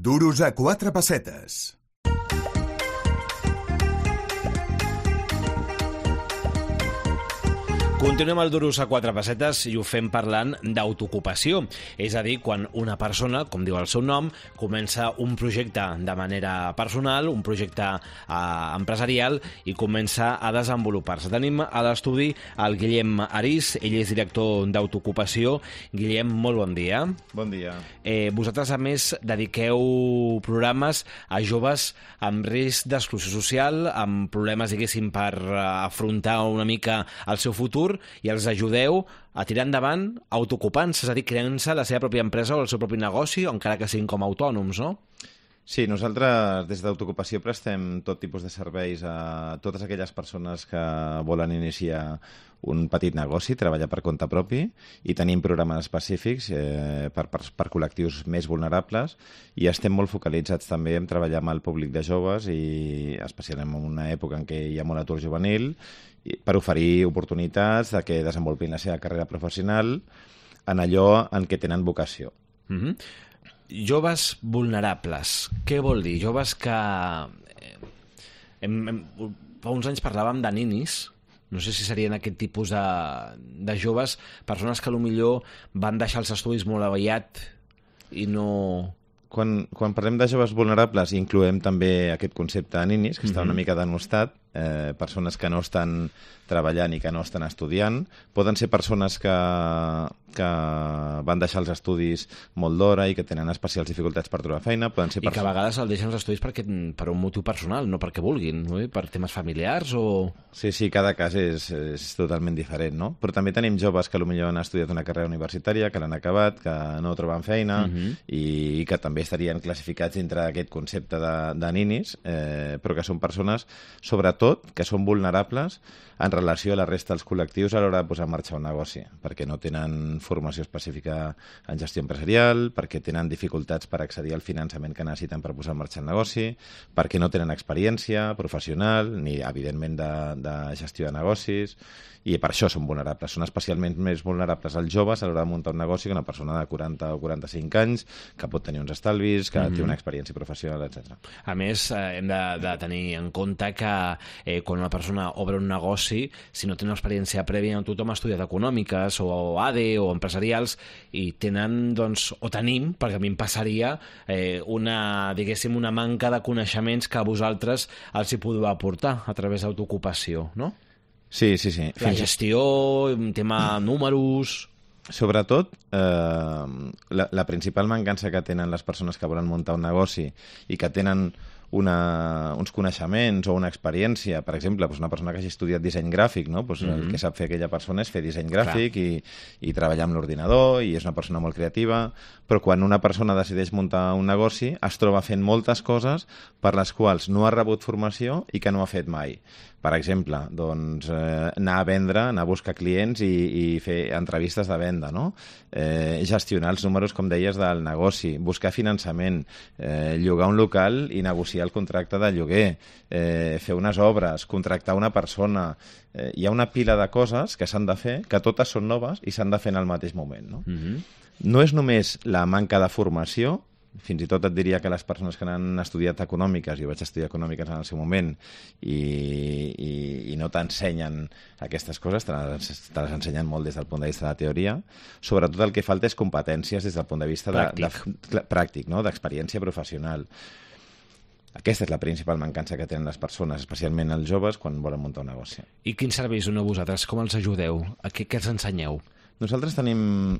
Duros a 4 pessetes. Continuem al Duros a 4 pessetes i ho fem parlant d'autoocupació. És a dir, quan una persona, com diu el seu nom, comença un projecte de manera personal, un projecte empresarial i comença a desenvolupar-se. Tenim a l'estudi el Guillem Arís, ell és director d'autoocupació. Guillem, molt bon dia. Bon dia. Vosaltres, a més, dediqueu programes a joves amb risc d'exclusió social, amb problemes, diguéssim, per afrontar una mica el seu futur, i els ajudeu a tirar endavant autoocupant-se, és a dir, creant-se la seva pròpia empresa o el seu propi negoci, encara que siguin com a autònoms, no? Sí, nosaltres des d'autoocupació prestem tot tipus de serveis a totes aquelles persones que volen iniciar un petit negoci, treballar per compte propi, i tenim programes específics per col·lectius més vulnerables, i estem molt focalitzats també en treballar amb el públic de joves, i especialment en una època en què hi ha molt atur juvenil, per oferir oportunitats de que desenvolupin la seva carrera professional en allò en què tenen vocació. Joves vulnerables, què vol dir? Joves que... Fa uns anys parlàvem de ninis, no sé si serien aquest tipus de joves, persones que potser van deixar els estudis molt aviat i no... Quan parlem de joves vulnerables incloem també aquest concepte de ninis, que està una mica denostat, persones que no estan treballant i que no estan estudiant. Poden ser persones que van deixar els estudis molt d'hora i que tenen especials dificultats per trobar feina. Poden ser I que a vegades el deixen els estudis per un motiu personal, no perquè vulguin, no? Per temes familiars o... Sí, cada cas és totalment diferent, no? Però també tenim joves que potser han estudiat una carrera universitària, que l'han acabat, que no troben feina i que també estarien classificats dintre d'aquest concepte de ninis, però que són persones, sobretot, que són vulnerables en relació a la resta dels col·lectius a l'hora de posar en marxa un negoci, perquè no tenen formació específica en gestió empresarial, perquè tenen dificultats per accedir al finançament que necessiten per posar en marxa el negoci, perquè no tenen experiència professional ni, evidentment, de gestió de negocis, i per això són vulnerables. Són especialment més vulnerables els joves a l'hora de muntar un negoci que una persona de 40 o 45 anys que pot tenir uns estalvis, que té una experiència professional, etc. A més, hem de tenir en compte que quan una persona obre un negoci, si no té una experiència prèvia, tothom ha estudiat econòmiques o ADE o empresarials i tenen, doncs, o tenim, perquè a mi em passaria, diguéssim, una manca de coneixements que a vosaltres els hi podeu aportar a través d'autoocupació, no? Sí. La gestió, un tema números... Sobretot, la principal mancança que tenen les persones que volen muntar un negoci i que tenen uns coneixements o una experiència, per exemple, una persona que hagi estudiat disseny gràfic, no? El que sap fer aquella persona és fer disseny gràfic i treballar amb l'ordinador, i és una persona molt creativa, però quan una persona decideix muntar un negoci es troba fent moltes coses per les quals no ha rebut formació i que no ha fet mai. Per exemple, doncs, anar a vendre, anar a buscar clients i fer entrevistes de venda, no? Gestionar els números, com deies, del negoci, buscar finançament, llogar un local i negociar el contracte de lloguer, fer unes obres, contractar una persona... Hi ha una pila de coses que s'han de fer, que totes són noves i s'han de fer en el mateix moment, no? No és només la manca de formació. Fins i tot et diria que les persones que han estudiat econòmiques, jo vaig estudiar econòmiques en el seu moment, i no t'ensenyen aquestes coses, te les ensenyen molt des del punt de vista de la teoria. Sobretot el que falta és competències des del punt de vista pràctic, no? D'experiència professional. Aquesta és la principal mancança que tenen les persones, especialment els joves, quan volen muntar un negoci. I quins serveis doneu vosaltres? Com els ajudeu? Què els ensenyeu? Nosaltres tenim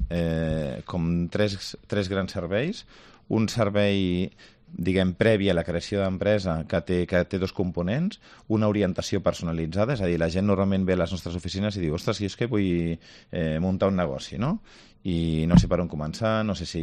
com tres grans serveis. Un servei, diguem, previ a la creació d'empresa que té dos components, una orientació personalitzada, és a dir, la gent normalment ve a les nostres oficines i diu, ostres, jo és que vull muntar un negoci, no? I no sé per on començar, no sé si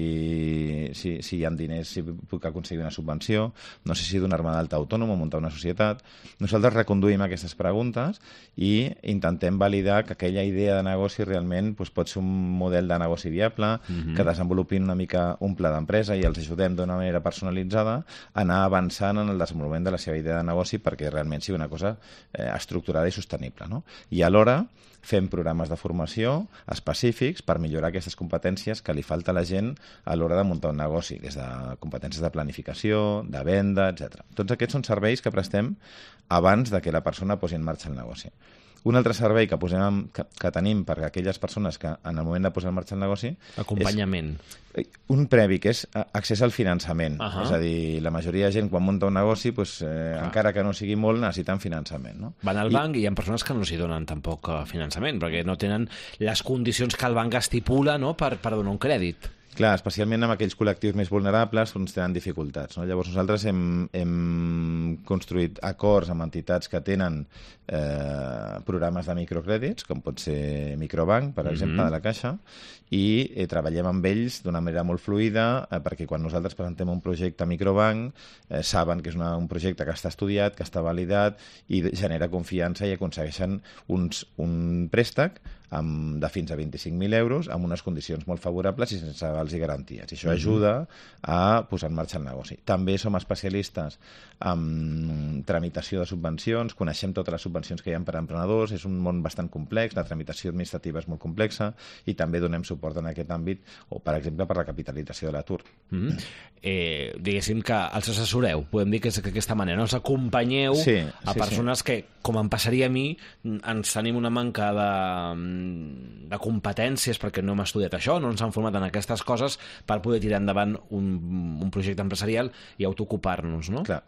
hi ha diners, si puc aconseguir una subvenció, no sé si donar-me d'alta autònom o muntar una societat. Nosaltres reconduïm aquestes preguntes i intentem validar que aquella idea de negoci realment pot ser un model de negoci viable, que desenvolupin una mica un pla d'empresa i els ajudem d'una manera personalitzada a anar avançant en el desenvolupament de la seva idea de negoci perquè realment sigui una cosa estructurada i sostenible, no? I alhora fem programes de formació específics per millorar aquesta d'aquestes competències que li falta a la gent a l'hora de muntar un negoci, que és de competències de planificació, de venda, etc. Tots aquests són serveis que prestem abans de que la persona posi en marxa el negoci. Un altre servei que tenim per a aquelles persones que en el moment de posar en marxa el negoci... Acompanyament. Un previ, que és accés al finançament. És a dir, la majoria de gent quan munta un negoci, encara que no sigui molt, necessiten finançament. No? Van al banc i hi ha persones que no s'hi donen tampoc finançament, perquè no tenen les condicions que el banc estipula, no?, per donar un crèdit. Clar, especialment amb aquells col·lectius més vulnerables tenen dificultats. No? Llavors nosaltres hem construït acords amb entitats que tenen programes de microcrèdits, com pot ser Microbank, per exemple, de la Caixa, i treballem amb ells d'una manera molt fluida, perquè quan nosaltres presentem un projecte a Microbank saben que és un projecte que està estudiat, que està validat i genera confiança i aconsegueixen un préstec de fins a 25.000 euros amb unes condicions molt favorables i sense avals i garanties. I això ajuda a posar en marxa el negoci. També som especialistes en tramitació de subvencions, coneixem totes les subvencions que hi ha per a emprenedors, és un món bastant complex, la tramitació administrativa és molt complexa i també donem suport en aquest àmbit, o per exemple per la capitalització de l'atur. Diguéssim que els assessoreu, podem dir que és d'aquesta manera, no? Els acompanyeu a persones que, com em passaria a mi, ens tenim una manca de competències perquè no hem estudiat això, no ens han format en aquestes coses per poder tirar endavant un projecte empresarial i autoocupar-nos, no? Clar,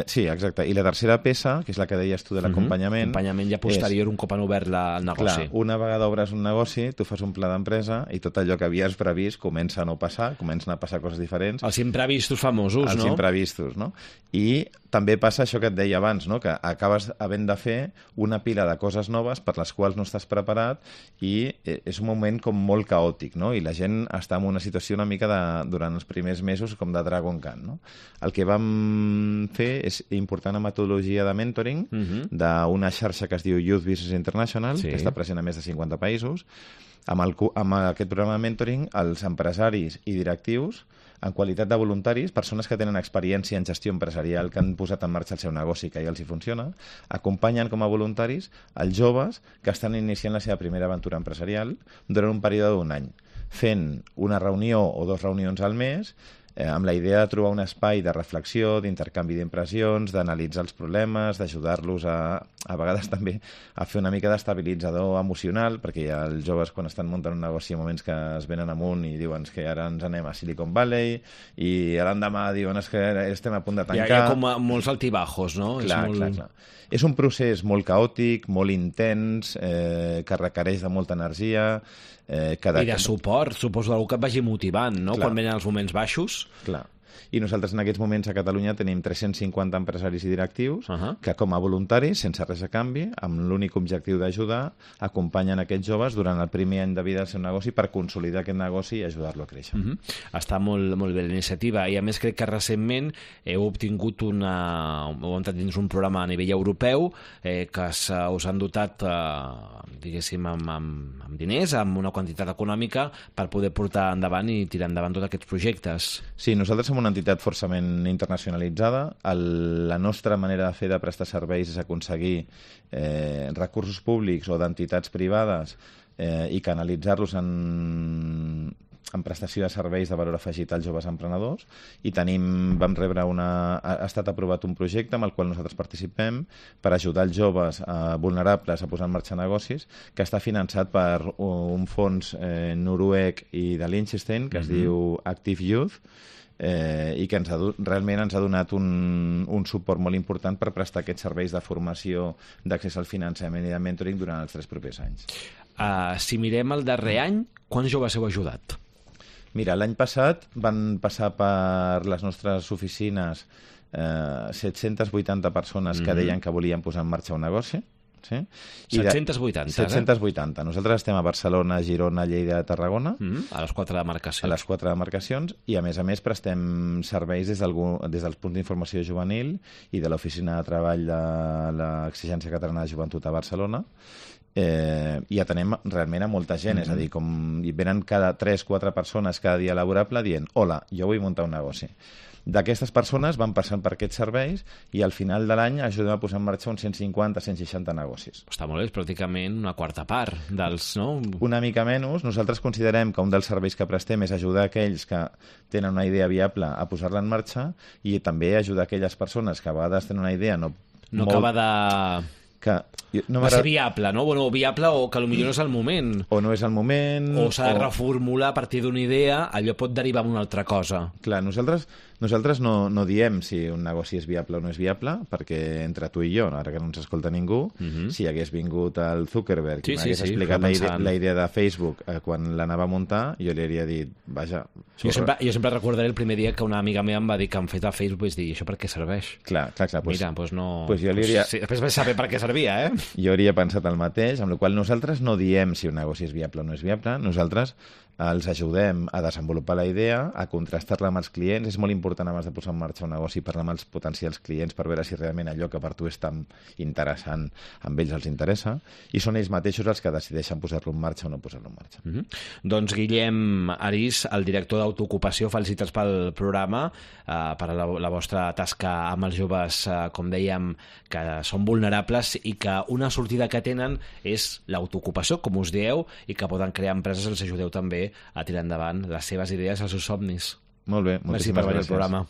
sí, exacte. I la tercera peça, que és la que deies tu de l'acompanyament... L'acompanyament ja posterior, un cop han obert el negoci. Clar, una vegada obres un negoci, tu fas un pla d'empresa i tot allò que havies previst comença a no passar, comencen a passar coses diferents. Els imprevistos famosos, no? Els imprevistos, no? I també passa això que et deia abans, no? Que acabes havent de fer una pila de coses noves per les quals no estàs preparat i és un moment com molt caòtic, no? I la gent està en una situació una mica durant els primers mesos com de Dragon Khan, no? El que vam fer és important una metodologia de mentoring d'una xarxa que es diu Youth Business International, que està present a més de 50 països. Amb aquest programa de mentoring, els empresaris i directius, en qualitat de voluntaris, persones que tenen experiència en gestió empresarial, que han posat en marxa el seu negoci, que ja els hi funciona, acompanyen com a voluntaris els joves que estan iniciant la seva primera aventura empresarial durant un període d'1 any, fent una reunió o 2 reunions al mes, amb la idea de trobar un espai de reflexió, d'intercanvi d'impressions, d'analitzar els problemes, d'ajudar-los a vegades també a fer una mica d'estabilitzador emocional, perquè ja els joves quan estan muntant un negoci en moments que es venen amunt i diuen que ara ens anem a Silicon Valley i l'endemà diuen que estem a punt de tancar. Hi ha com molts altibajos, no? Clar. És un procés molt caòtic, molt intens, que requereix de molta energia. I de suport, suposo, d'algú que et vagi motivant, no? Quan venen els moments baixos. Clar. I nosaltres en aquests moments a Catalunya tenim 350 empresaris i directius que com a voluntaris, sense res a canvi, amb l'únic objectiu d'ajudar, acompanyen aquests joves durant el primer any de vida del seu negoci per consolidar aquest negoci i ajudar-lo a créixer. Està molt bé la iniciativa i a més crec que recentment heu obtingut heu entrat dins un programa a nivell europeu que us han dotat diguéssim amb diners, amb una quantitat econòmica per poder portar endavant i tirar endavant tots aquests projectes. Sí, nosaltres som una entitat forçament internacionalitzada. La nostra manera de fer de prestar serveis és aconseguir recursos públics o d'entitats privades i canalitzar-los en prestació de serveis de valor afegit als joves emprenedors i vam rebre ha estat aprovat un projecte amb el qual nosaltres participem per ajudar els joves vulnerables a posar en marxa negocis, que està finançat per un fons noruec i de Liechtenstein que es diu Active Youth, i que realment ens ha donat un suport molt important per prestar aquests serveis de formació, d'accés al finançament i de mentoring durant els 3 propers anys. Si mirem el darrer any, quants joves heu ajudat? Mira, l'any passat van passar per les nostres oficines 780 persones que deien que volien posar en marxa un negoci. Sí? 780, 780. Nosaltres estem a Barcelona, Girona, Lleida, Tarragona. A les 4 demarcacions. A les 4 demarcacions i, a més, prestem serveis des dels punts d'informació juvenil i de l'Oficina de Treball de l'Exigència Catalana de Joventut a Barcelona. I atenem realment a molta gent, és a dir, com venen cada 3-4 persones cada dia laborable dient: hola, jo vull muntar un negoci. d'aquestes persones van passant per aquests serveis i al final de l'any ajudem a posar en marxa uns 150-160 negocis. Està molt bé, és pràcticament una quarta part dels... No? Una mica menys. Nosaltres considerem que un dels serveis que prestem és ajudar aquells que tenen una idea viable a posar-la en marxa i també ajudar aquelles persones que a vegades tenen una idea no acaba de... va ser viable, no? Bueno, viable o que potser no és el moment. O no és el moment. O s'ha de reformular a partir d'una idea, allò pot derivar en una altra cosa. Clar, nosaltres no diem si un negoci és viable o no és viable, perquè entre tu i jo, ara que no ens escolta ningú, si hagués vingut el Zuckerberg i m'hagués explicat la idea de Facebook quan l'anava a muntar, jo li hauria dit, vaja... Jo sempre recordaré el primer dia que una amiga meva em va dir que han fet a Facebook, vaig dir, això per què serveix? Clar. Mira, doncs no... Pues jo li hauria... Sí, després vaig saber per què servia, eh? Jo hauria pensat el mateix, amb la qual nosaltres no diem si un negoci és viable o no és viable, nosaltres els ajudem a desenvolupar la idea, a contrastar-la amb els clients. És molt important abans de posar en marxa un negoci parlar amb els potencials clients per veure si realment allò que per tu és tan interessant amb ells els interessa, i són ells mateixos els que decideixen posar-lo en marxa o no posar-lo en marxa. Doncs Guillem Arís, el director d'Autoocupació, felicitats pel programa, per la vostra tasca amb els joves, com dèiem, que són vulnerables i que una sortida que tenen és l'autoocupació, com us dieu, i que poden crear empreses, els ajudeu també a tirar endavant les seves idees, els seus somnis. Molt bé, moltíssimes gràcies. Merci per venir al programa.